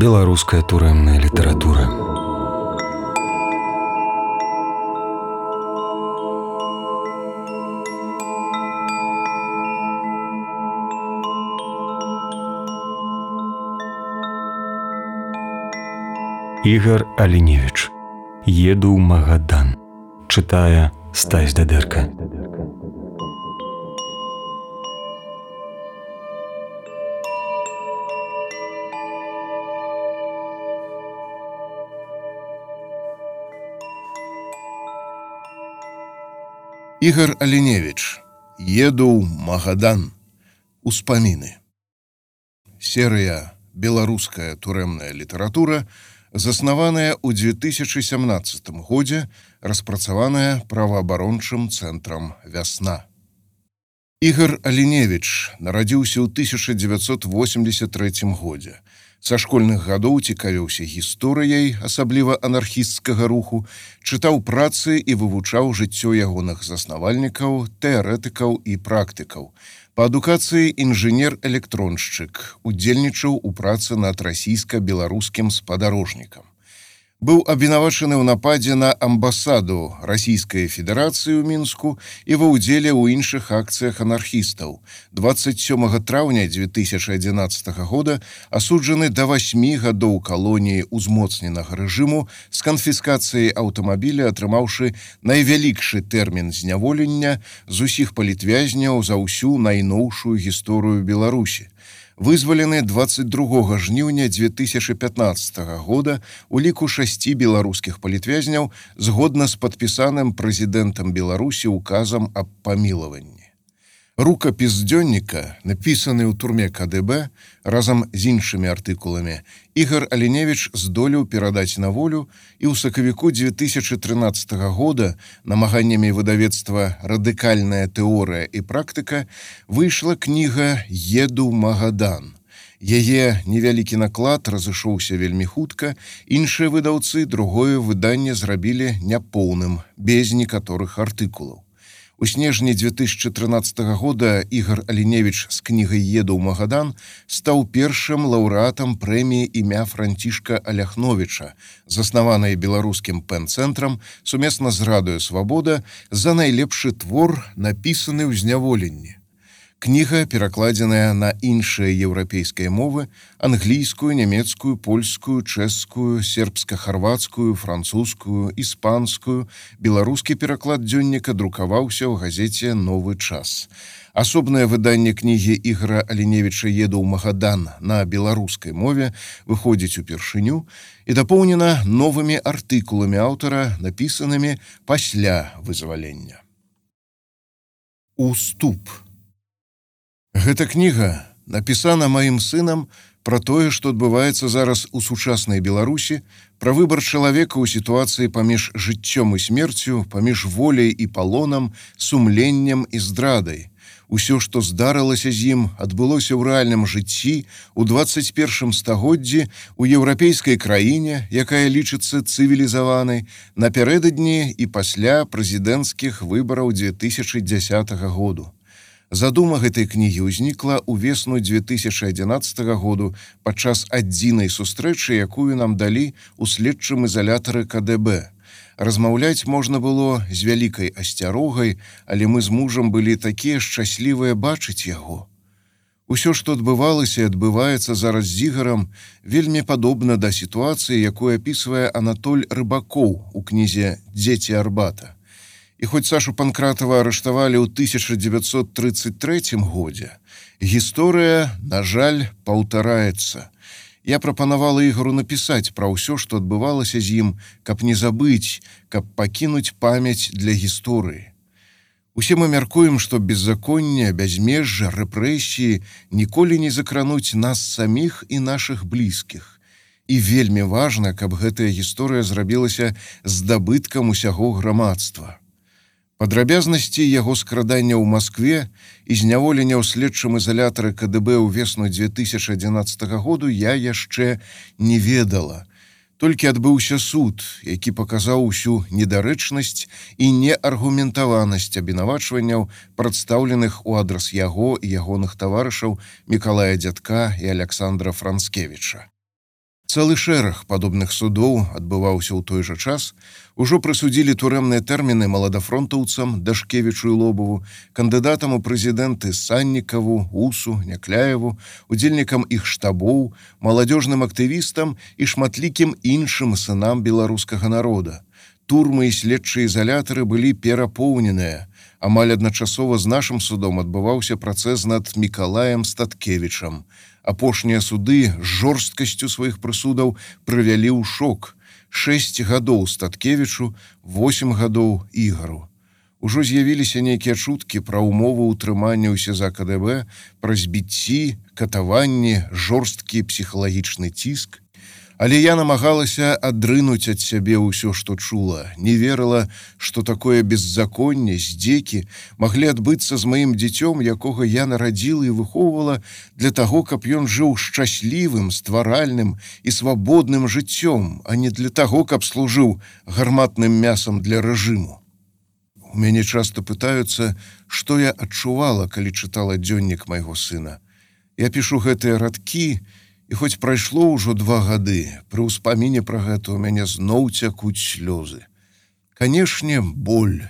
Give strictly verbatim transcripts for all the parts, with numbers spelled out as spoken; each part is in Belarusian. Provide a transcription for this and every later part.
Беларуская турэмная літаратура. Ігар Аліневіч. Еду ў Магадан. Чытае Стась Дадэрка. Ігар Аліневіч. Еду ў Магадан. Успаміны. Серыя «Беларуская турэмная літаратура», заснаваная ў две тысячы сямнаццатым годзе, распрацаваная праваабарончым цэнтрам «Вясна». Ігар Аліневіч нарадзіўся ў тысяча дзевяцьсот восемьдесят трэцім годзе. Са школьных гадоў цікавіўся гісторыяй, асабліва анархісцкага руху, чытаў працы і вывучаў жыццё ягоных заснавальнікаў, тэарэтыкаў і практыкаў. Па адукацыі інжынер-электроншчык, удзельнічаў у працы над расійска-беларускім спадарожнікам. Быў абвінавачаны ў нападзе на амбасаду Расійскай Федэрацыі ў Мінску і ва ўдзеле ў іншых акцыях анархістаў. дваццаць сёмага траўня две тысячы адзінаццатага года асуджаны да васьмі гадоў калоніі ўзмоцненага рэжыму з канфіскацыяй аўтамабіля, атрымаўшы найвялікшы тэрмін зняволення з усіх палітвязняў за ўсю найноўшую гісторыю Беларусі. Вызвалены дваццаць другога жніўня две тысячы пятнаццатага года у ліку шасці беларускіх палітвязняў згодна з падпісаным прэзідэнтам Беларусі указам аб памілаванні. Рукапіс дзённіка, напісаны ў турме ка дэ бэ, разам з іншымі артыкуламі, Ігар Аліневіч здолеў перадаць на волю, і ў сакавіку две тысячы трынаццатага года намаганнямі выдавецтва «Радыкальная тэорыя і практыка» выйшла кніга «Еду ў Магадан». Яе невялікі наклад разышоўся вельмі хутка, іншыя выдаўцы другое выданне зрабілі няпоўным, без некаторых артыкулаў. У снежні две тысячы трынаццатага года Ігар Аліневіч з кнігай «Еду ў Магадан» стаў першым лаўрэатам прэміі імя Францішка Аляхновіча, заснаванай беларускім пэн-цэнтрам сумесна з Радыё Свабода за найлепшы твор, напісаны ў зняволенні. Кніга перакладзеная на іншыя еўрапейскія мовы: англійскую, нямецкую, польскую, чэшскую, сербска-харвацкую, французскую, іспанскую. Беларускі пераклад дзённіка друкаваўся ў газеце «Новы час». Асобнае выданне кнігі Ігара Аліневіча «Еду ў Магадан» на беларускай мове выходзіць упершыню і дапоўнена новымі артыкуламі аўтара, напісанымі пасля вызвалення. Уступ. Гэта кніга напісана маім сынам пра тое, што адбываецца зараз у сучаснай Беларусі, пра выбар чалавека ў сітуацыі паміж жыццём і смерцю, паміж воляй і палонам, сумленнем і здрадай. Усё, што здарылася з ім, адбылося ў рэальным жыцці ў дваццаць першым стагоддзі у еўрапейскай краіне, якая лічыцца цывілізаванай, напярэдадні і пасля прэзідэнцкіх выбараў две тысячы дзясятага году. Задума гэтай кнігі ўзнікла ўвесну две тысячы адзінаццатага году падчас адзінай сустрэчы, якую нам далі ў следчым ізалятары ка дэ бэ. Размаўляць можна было з вялікай асцярогай, але мы з мужам былі такія шчаслівыя бачыць яго. Усё, што адбывалася і адбываецца зараз з Ігарам, вельмі падобна да сітуацыі, якую апісвае Анатоль Рыбакоў у кнізе «Дзеці Арбата». І хоць Сашу Панкратава арыштавалі ў тысяча дзевяцьсот трыццаць трэцім годзе, гісторыя, на жаль, паўтараецца. Я прапанавала Ігару напісаць пра ўсё, што адбывалася з ім, каб не забыць, каб пакінуць памяць для гісторыі. Усе мы мяркуем, што беззаконне, бязмежжа, рэпрэсіі ніколі не закрануць нас саміх і нашых блізкіх. І вельмі важна, каб гэтая гісторыя зрабілася здабыткам усяго грамадства. Падрабязнасці яго скрадання ў Маскве і зняволення ў следчым ізалятары ка дэ бэ ўвесну две тысячы адзінаццатага году я яшчэ не ведала. Толькі адбыўся суд, які паказаў усю недарэчнасць і неаргументаванасць абвінавачванняў, прадстаўленых у адрас яго і ягоных таварышаў Мікалая Дзядка і Аляксандра Францкевіча. Цэлы шэраг падобных судоў адбываўся ў той жа час. Ужо прысудзілі турэмныя тэрміны маладафронтаўцам Дашкевічу і Лобаву, кандыдатам у прэзідэнты Саннікаву, Усу, Някляеву, удзельнікам іх штабоў, маладзёжным актывістам і шматлікім іншым сынам беларускага народа. Турмы і следчыя ізалятары былі перапоўненыя. Амаль адначасова з нашым судом адбываўся працэс над Мікалаем Статкевічам. Апошнія суды з жорсткасцю сваіх прысудаў прывялі ў шок. Шэсць гадоў Статкевічу, восем гадоў Ігару. Ужо з'явіліся нейкія чуткі пра ўмовы ўтрымання ў СІЗА КДБ, пра збіцці, катаванні, жорсткі псіхалагічны ціск. Але я намагалася адрынуць ад сябе ўсё, што чула, не верыла, што такое беззаконне, здзекі маглі адбыцца з маім дзіцём, якога я нарадзіла і выхоўвала для таго, каб ён жыў шчаслівым, стваральным і свабодным жыццём, а не для таго, каб служыў гарматным мясам для рэжыму. У мяне часта пытаюцца, што я адчувала, калі чытала дзённік майго сына. Я пішу гэтыя радкі, і хоць прайшло ўжо два гады, пры ўспаміне пра гэта ў мяне зноў цякуць слёзы. Канешне, боль.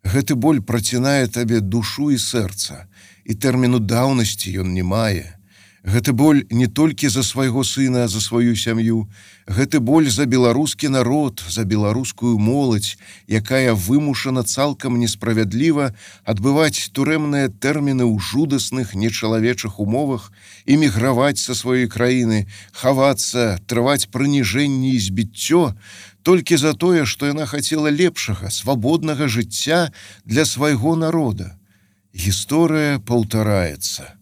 Гэты боль працінае табе душу і сэрца, і тэрміну даўнасці ён не мае. Гэты боль не толькі за свайго сына, а за сваю сям'ю. Гэты боль за беларускі народ, за беларускую моладзь, якая вымушана цалкам несправядліва адбываць турэмныя тэрміны ў жудасных нечалавечых умовах, эміграваць са сваёй краіны, хавацца, трываць прыніжэнні і збіццё, толькі за тое, што яна хацела лепшага, свабоднага жыцця для свайго народа. Гісторыя паўтараецца.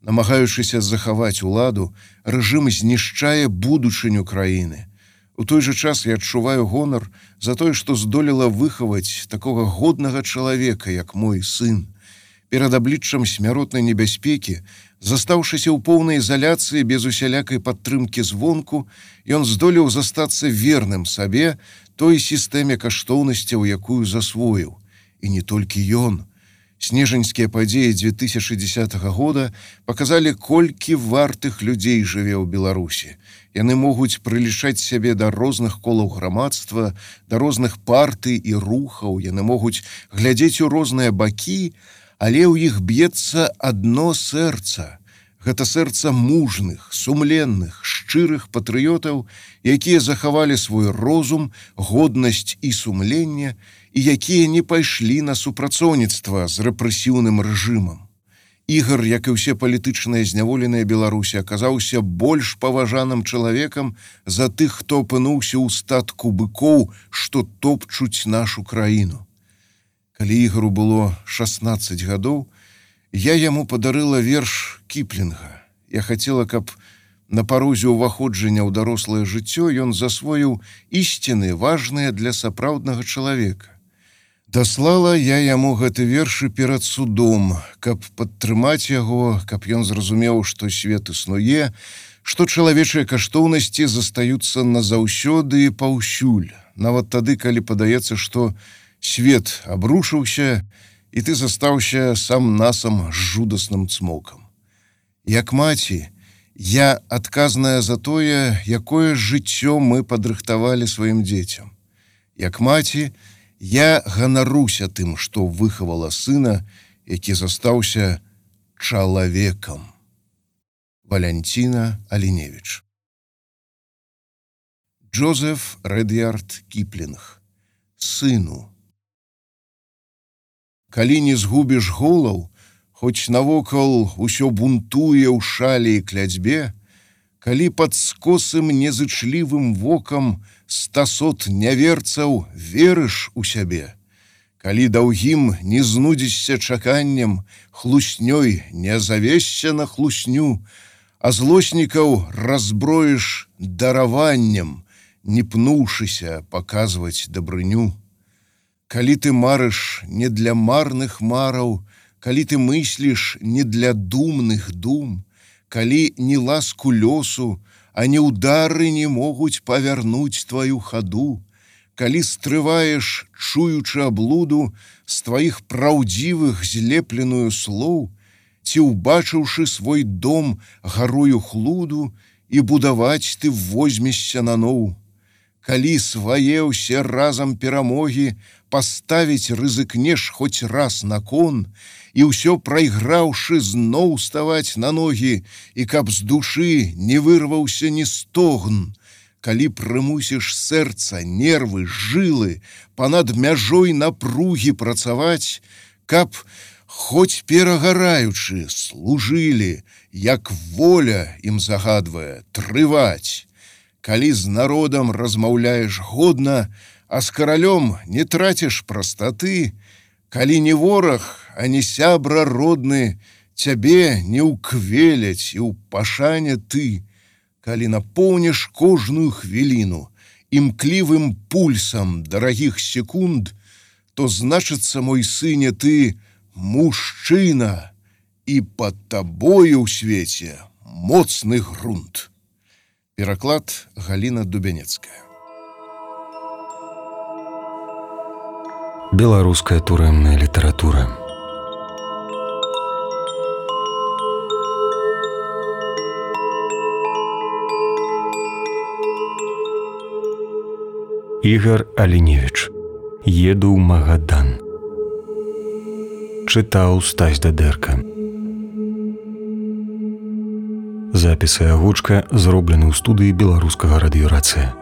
Намагаючыся захаваць уладу, рэжым знішчае будучыню краіны. У той жа час я адчуваю гонар за тое, што здолела выхаваць такога годнага чалавека, як мой сын. Перад абліччам смяротнай небяспекі, застаўшыся ў поўнай ізаляцыі без усялякай падтрымкі звонку, ён здолеў застацца верным сабе той сістэме каштоўнасцяў, якую засвоіў. І не толькі ён. Снежаньскія падзеі дзве тысячы дзесятага года паказалі, колькі вартых людзей жыве ў Беларусі. Яны могуць прылічаць сябе да розных колаў грамадства, да розных партый і рухаў, яны могуць глядзець у розныя бакі, але ў іх б'ецца адно сэрца. Гэта сэрца мужных, сумленных, шчырых патрыётаў, якія захавалі свой розум, годнасць і сумленне, і якія не пайшлі на супрацоўніцтва з рэпрэсіўным рэжымам. Ігар, як і ўсе палітычныя зняволеныя Беларусі, аказаўся больш паважаным чалавекам за тых, хто апынуўся ў статку быкоў, што топчуць нашу краіну. Калі Ігару было шаснаццаць гадоў, я яму падарыла верш Кіплінга. Я хацела, каб на парозе ўваходжання ў дарослае жыццё ён засвоіў ісціны, важныя для сапраўднага чалавека. Даслала я яму гэты вершы перад судом, каб падтрымаць яго, каб ён зразумеў, што свет існуе, што чалавечыя каштоўнасці застаюцца назаўсёды і паўсюль, нават тады, калі падаецца, што свет абрушыўся, і ты застаўся сам-насам з жудасным цмокам. Як маці, я адказная за тое, якое жыццё мы падрыхтавалі сваім дзецям. Як маці, я ганаруся тым, што выхавала сына, які застаўся чалавекам. Валянціна Аліневіч. Джозеф Ред'ярд Кіплінг. Сыну. Калі не згубіш голаў, хоць навокал усё бунтуе ў шалі і кляцьбе, калі пад скосым незычлівым вокам стасот няверцаў верыш у сябе, калі даўгім не знудзішся чаканнем, хлуснёй не завешся на хлусню, а злоснікаў разброіш дараваннем, не пнуўшыся паказваць дабрыню. Калі ты марыш не для марных мараў, калі ты мысліш не для думных дум, калі ні ласку лёсу, а ні ўдары не могуць павярнуць тваю хаду, калі стрываеш, чуючы аблуду, з тваіх праўдзівых злепленую слоў, ці ўбачыўшы свой дом гарою хлуду, і будаваць ты возьмешся наноў. Калі свае ўсе разам перамогі паставіць рызыкнеш хоць раз на кон, і ўсё прайграўшы зноў ставаць на ногі, і каб з душы не вырваўся ні стогн, калі прымусіш сэрца, нервы, жылы панад мяжой напругі працаваць, каб, хоць перагараючы, служылі, як воля ім загадвае, трываць. Калі з народам размаўляеш годна, а з каралём не траціш прастаты, калі не вораг, а не сябра родны, цябе не ўквеляць і ў пашане ты, калі напоўніш кожную хвіліну імклівым пульсам дарагіх секунд, то значыцца, мой сыне, ты мужчына, і пад табою ў свеце моцны грунт. Пераклад Галіна Дубянецкая. Беларуская турэмная літаратура. Ігар Аліневіч. Еду ў Магадан. Чытаў Стась Дадэрка. Запісы агучка зроблены ў студыі беларускага радыёрацыя.